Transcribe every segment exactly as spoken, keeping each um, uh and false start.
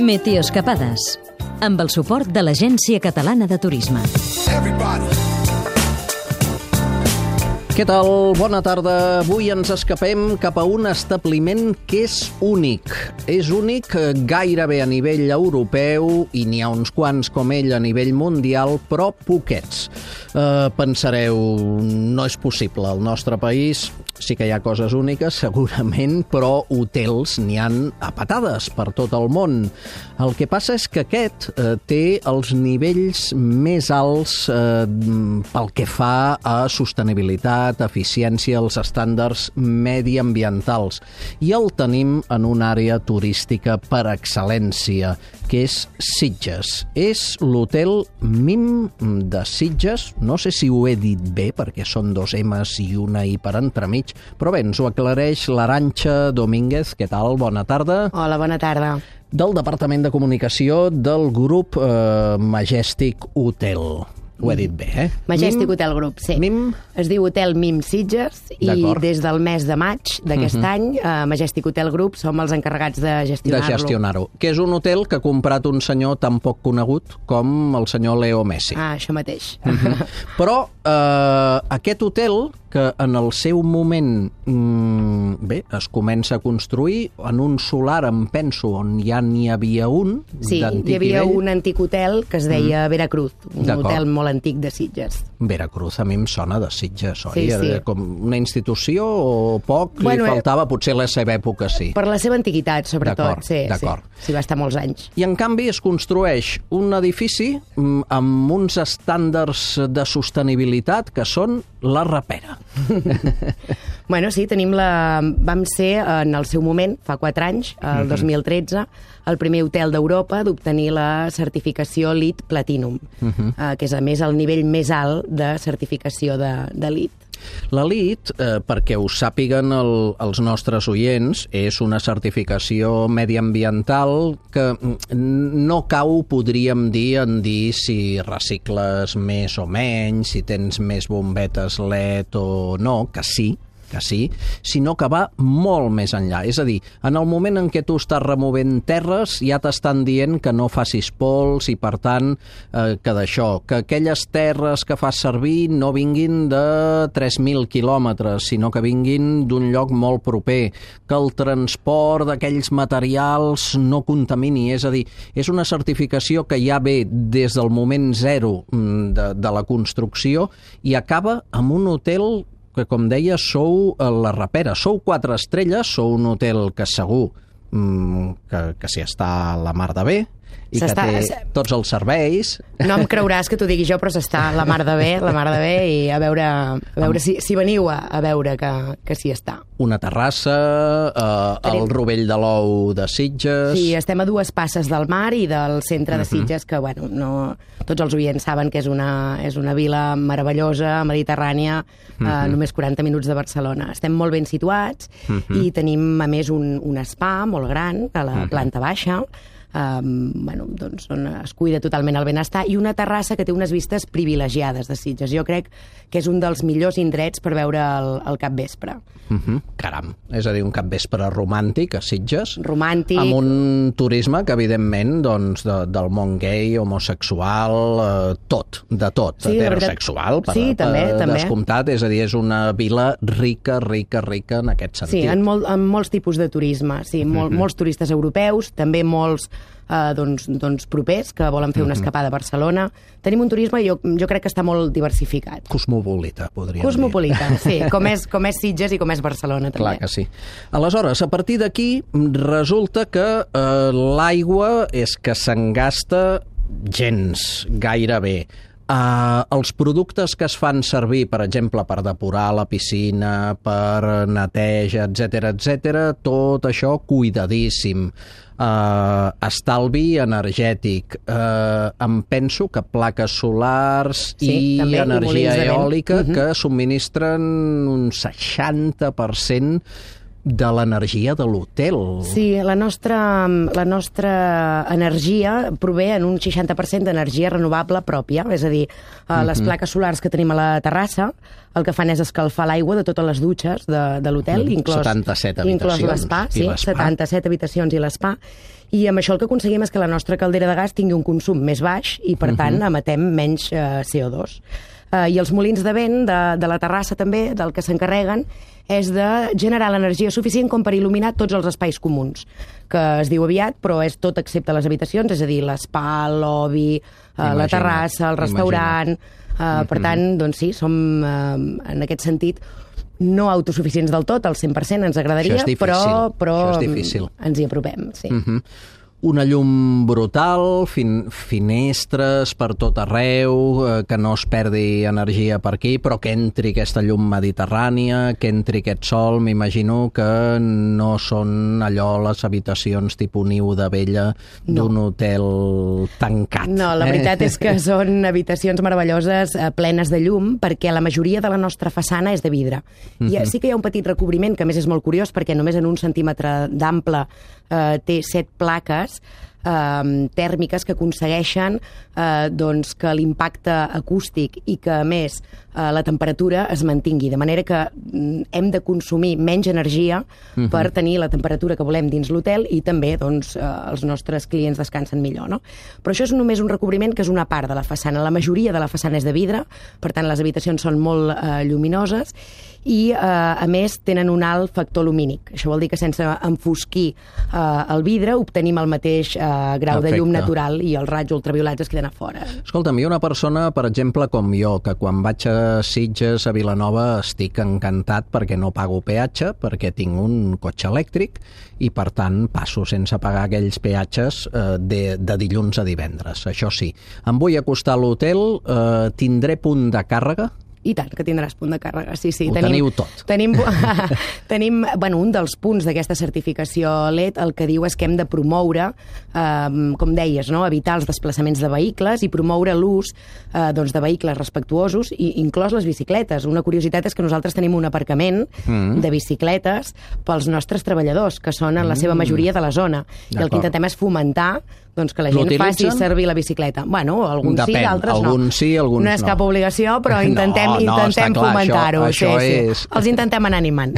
Meteoescapades, amb el suport de l'Agència Catalana de Turisme. Què tal? Bona tarda. Avui ens escapem cap a un establiment que és únic. És únic gairebé a nivell europeu i n'hi ha uns quants com ell a nivell mundial, però poquets. Uh, pensareu, no és possible. Al nostre país sí que hi ha coses úniques, segurament, però hotels n'hi han a patades per tot el món. El que passa és que aquest uh, té els nivells més alts uh, pel que fa a sostenibilitat, eficiència, els estàndards mediambientals. I el tenim en una àrea turística per excel·lència, que és Sitges. És l'hotel Mim de Sitges. No sé si ho he dit bé, perquè són dos M's i una I per entremig, però bé, ens ho aclareix l'Arantxa Domínguez. Què tal? Bona tarda. Hola, bona tarda. Del Departament de Comunicació del grup eh, Majestic Hotel. Ho he dit bé, eh? Majestic Mim, Hotel Group, sí. Mim? Es diu Hotel Mim Sitges i des del mes de maig d'aquest uh-huh. any, uh, Majestic Hotel Group som els encarregats de gestionar-lo. De gestionar-ho. Que és un hotel que ha comprat un senyor tan poc conegut com el senyor Leo Messi. Ah, això mateix. Uh-huh. Però eh, aquest hotel, que en el seu moment mmm, bé, es comença a construir en un solar, em penso, on ja n'hi havia un sí, d'antic hi havia nivell. un antic hotel que es deia mm. Veracruz, un hotel molt antic de Sitges. Veracruz a mi em sona de Sitges, oi? Sí, sí. Era com una institució o poc? Bueno, li faltava, potser la seva època sí. Per la seva antiguitat, sobretot. Sí, d'acord. Sí, sí, va estar molts anys. I en canvi es construeix un edifici amb uns estàndards de sostenibilitat que són la rapera. Bueno, sí, tenim la... vam ser en el seu moment, fa quatre anys, el dos mil tretze, el primer hotel d'Europa d'obtenir la certificació LEED Platinum, uh-huh. eh, que és a més el nivell més alt de certificació de, de LEED. La LEED, eh, perquè ho sàpiguen el, els nostres oients, és una certificació mediambiental que no cau, podríem dir, en dir si recicles més o menys, si tens més bombetes L E D o no, que sí, que sí, sinó que va molt més enllà. És a dir, en el moment en què tu estàs removent terres, ja t'estan dient que no facis pols i, per tant, eh, que d'això, que aquelles terres que fas servir no vinguin de tres mil quilòmetres, sinó que vinguin d'un lloc molt proper, que el transport d'aquells materials no contamini. És a dir, és una certificació que ja ve des del moment zero de, de la construcció i acaba amb un hotel que, com deia, sou la rapera. Sou quatre estrelles, sou un hotel que segur mmm, que, que s'hi està a la mar de bé i que té tots els serveis. No em creuràs que t'ho digui jo, però s'està la mar de bé, la mar de bé, i a veure, a veure si, si veniu a, a veure que, que s'hi està. Una terrassa, eh, el Rovell de l'Ou de Sitges... Sí, estem a dues passes del mar i del centre de Sitges, que, bueno, no, tots els oients saben que és una, és una vila meravellosa, mediterrània, uh-huh. eh, només quaranta minuts de Barcelona. Estem molt ben situats uh-huh. i tenim, a més, un, un spa molt gran a la uh-huh. planta baixa, Um, bueno, doncs, on es cuida totalment el benestar, i una terrassa que té unes vistes privilegiades de Sitges. Jo crec que és un dels millors indrets per veure el, el capvespre. Uh-huh. Caram, és a dir, un capvespre romàntic a Sitges. Romàntic. Amb un turisme que, evidentment, doncs, de, del món gay, homosexual, eh, tot, de tot. Sí, heterosexual, per, sí, també, per també. descomptat. És a dir, és una vila rica, rica, rica en aquest sentit. Sí, en, molt, en molts tipus de turisme. Sí, mol, uh-huh. molts turistes europeus, també molts Uh, doncs, doncs propers que volen fer una escapada a Barcelona. Tenim un turisme, jo, jo crec que està molt diversificat. Cosmopolita, podríem Cosmopolita, dir. sí, com és, com és Sitges i com és Barcelona, també. Clar que sí. Aleshores, a partir d'aquí, resulta que eh, l'aigua és que se'n gasta gens, gairebé. Uh, els productes que es fan servir, per exemple, per depurar la piscina, per neteja, etcètera, etcètera, tot això cuidadíssim. Uh, estalvi energètic. Uh, em penso que plaques solars sí, i també, energia i eòlica uh-huh. que subministren un seixanta per cent de l'energia de l'hotel. Sí, la nostra, la nostra energia prové en un seixanta per cent d'energia renovable pròpia, és a dir, uh, les uh-huh. plaques solars que tenim a la terrassa el que fan és escalfar l'aigua de totes les dutxes de, de l'hotel, inclòs, setanta-set habitacions, inclòs l'espa, sí, l'espa. setanta-set habitacions i l'espa, i amb això el que aconseguim és que la nostra caldera de gas tingui un consum més baix i, per uh-huh. tant, emetem menys uh, C O dos. Uh, I els molins de vent de, de la terrassa també, del que s'encarreguen, és de generar l'energia suficient com per il·luminar tots els espais comuns, que es diu aviat, però és tot excepte les habitacions, és a dir, l'espa, el lobby, uh, la terrassa, el restaurant... Uh, mm-hmm. Per tant, doncs sí, som, uh, en aquest sentit, no autosuficients del tot, al cent per cent ens agradaria, difícil, però, però ens hi apropem, sí. Mm-hmm. Una llum brutal, fin finestres per tot arreu, eh, que no es perdi energia per aquí, però que entri aquesta llum mediterrània, que entri aquest sol, m'imagino que no són allò les habitacions tipus niu de vella d'un no. hotel tancat. No, la veritat eh? és que són habitacions meravelloses, eh, plenes de llum, perquè la majoria de la nostra façana és de vidre. Mm-hmm. I sí que hi ha un petit recobriment, que a més és molt curiós, perquè només en un centímetre d'ample eh, té set plaques Eh, tèrmiques que aconsegueixen eh, doncs que l'impacte acústic i que, a més, eh, la temperatura es mantingui, de manera que mm, hem de consumir menys energia uh-huh. per tenir la temperatura que volem dins l'hotel i també doncs, eh, els nostres clients descansen millor, no? Però això és només un recobriment que és una part de la façana. La majoria de la façana és de vidre, per tant les habitacions són molt eh, lluminoses i, eh, a més, tenen un alt factor lumínic. Això vol dir que sense enfosquir eh, el vidre obtenim el mateix eh, grau Perfecte. de llum natural i els raigs ultraviolats es queden a fora. Escolta'm, hi ha una persona, per exemple, com jo, que quan vaig a Sitges, a Vilanova, estic encantat perquè no pago peatge, perquè tinc un cotxe elèctric i, per tant, passo sense pagar aquells peatges eh, de, de dilluns a divendres. Això sí, em vull acostar a l'hotel, eh, tindré punt de càrrega? I tant, que tindràs punt de càrrega, sí, sí. Ho tenim, teniu tot. Tenim, tenim bueno, un dels punts d'aquesta certificació L E D el que diu és que hem de promoure, eh, com deies, no? evitar els desplaçaments de vehicles i promoure l'ús eh, doncs de vehicles respectuosos, i inclòs les bicicletes. Una curiositat és que nosaltres tenim un aparcament mm. de bicicletes pels nostres treballadors, que són en la seva majoria de la zona. I el que intentem és fomentar doncs que la gent faci servir la bicicleta. Bueno, alguns Depèn. sí, altres no. Alguns sí, alguns no. No és cap obligació, però intentem, no, no, intentem fomentar-ho. Això, això sí, és... sí. Els intentem anar animant.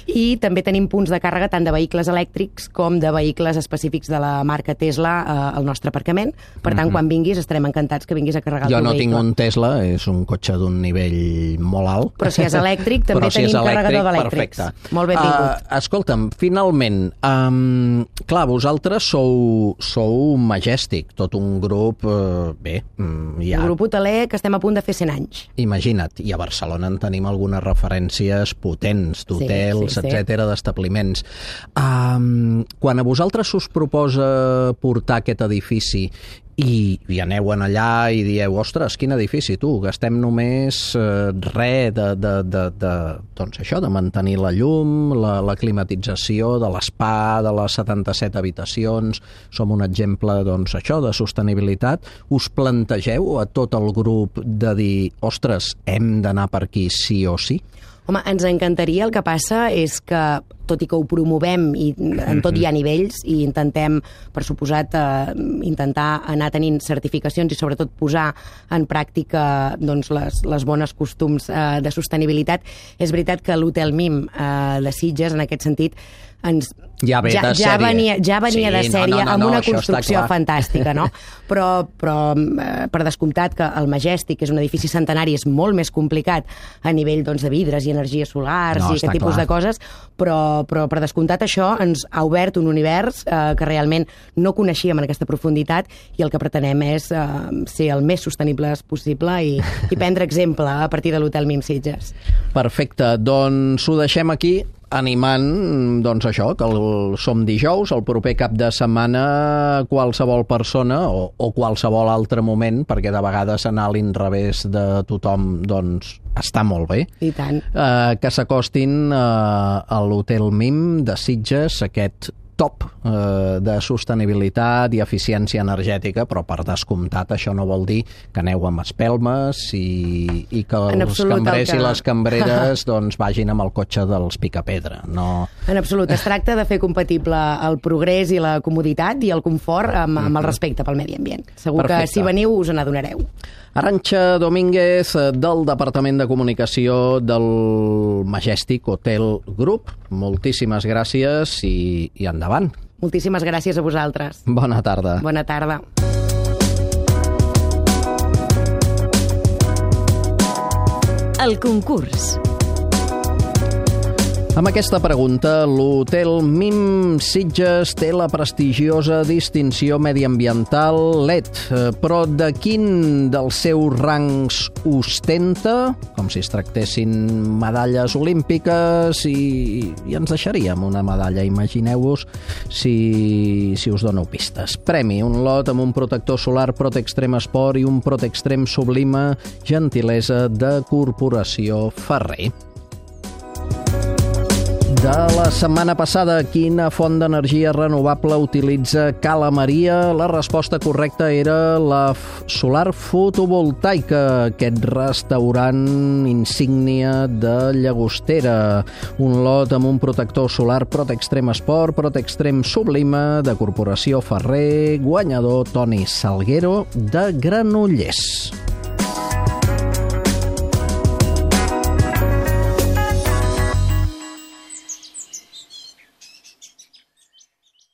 I també tenim punts de càrrega tant de vehicles elèctrics com de vehicles específics de la marca Tesla eh, al nostre aparcament. Per tant, mm-hmm. quan vinguis estarem encantats que vinguis a carregar el jo teu no vehicle. tinc un Tesla, és un cotxe d'un nivell molt alt. Però si és elèctric, també si tenim és elèctric, carregador d'elèctrics. Perfecte. Molt benvingut. Uh, escolta'm, finalment, um, clar, vosaltres sou, sou Majestic, tot un grup, eh, bé, ja... Un grup hoteler que estem a punt de fer cent anys. Imagina't, i a Barcelona en tenim algunes referències potents d'hotels, sí, sí, etcètera, sí. d'establiments. Um, quan a vosaltres us proposa portar aquest edifici i, i aneu en allà i dieu, ostres, quin edifici, tu, gastem només eh, res de, de, de, de, doncs això, de mantenir la llum, la, la climatització de l'espa, de les setanta-set habitacions, som un exemple, doncs això, de sostenibilitat. Us plantegeu a tot el grup de dir, ostres, hem d'anar per aquí sí o sí? Home, ens encantaria, el que passa és que, tot i que ho promovem i en tot hi ha nivells i intentem, per suposat, eh, intentar anar tenint certificacions i sobretot posar en pràctica doncs, les, les bones costums eh, de sostenibilitat, és veritat que l'Hotel Mim eh, de Sitges, en aquest sentit, ens, ja, ve ja, ja venia, ja venia sí, de sèrie no, no, no, amb una no, construcció fantàstica, no? Però, però eh, per descomptat que el Majestic, que és un edifici centenari, és molt més complicat a nivell doncs, de vidres i energies solars no, i aquest tipus clar. de coses, però, però per descomptat això ens ha obert un univers eh, que realment no coneixíem en aquesta profunditat i el que pretenem és eh, ser el més sostenibles possible i, i prendre exemple a partir de l'Hotel Mim Sitges. Perfecte, doncs ho deixem aquí, animant, doncs això, que el, som dijous, el proper cap de setmana qualsevol persona o, o qualsevol altre moment, perquè de vegades anar a l'inrevés de tothom, doncs, està molt bé. I tant. Eh, que s'acostin eh, a l'Hotel Mim de Sitges, aquest top eh, de sostenibilitat i eficiència energètica, però per descomptat això no vol dir que aneu amb espelmes i, i que En els absolut, cambrers el que- i les cambreres doncs, vagin amb el cotxe dels picapedra. No... En absolut, es tracta de fer compatible el progrés i la comoditat i el confort amb, amb el respecte pel medi ambient. Segur Perfecte. que si veniu us n'adonareu. Arantxa Domínguez, del Departament de Comunicació del Majestic Hotel Group. Moltíssimes gràcies i, i endavant. Moltíssimes gràcies a vosaltres. Bona tarda. Bona tarda. El concurs. Amb aquesta pregunta, l'Hotel Mim Sitges té la prestigiosa distinció mediambiental L E D, eh, però de quin dels seus rangs ostenta? Com si es tractessin medalles olímpiques i, i ens deixaríem una medalla. Imagineu-vos si, si us dono pistes. Premi, un lot amb un protector solar Protextrem Sport i un Protextrem Sublima, gentilesa de Corporació Ferrer. De la setmana passada, quina font d'energia renovable utilitza Cala Maria? La resposta correcta era la solar fotovoltaica, aquest restaurant insígnia de Llagostera. Un lot amb un protector solar Protextrem Sport, Protextrem Sublima, de Corporació Ferrer, guanyador Toni Salguero de Granollers.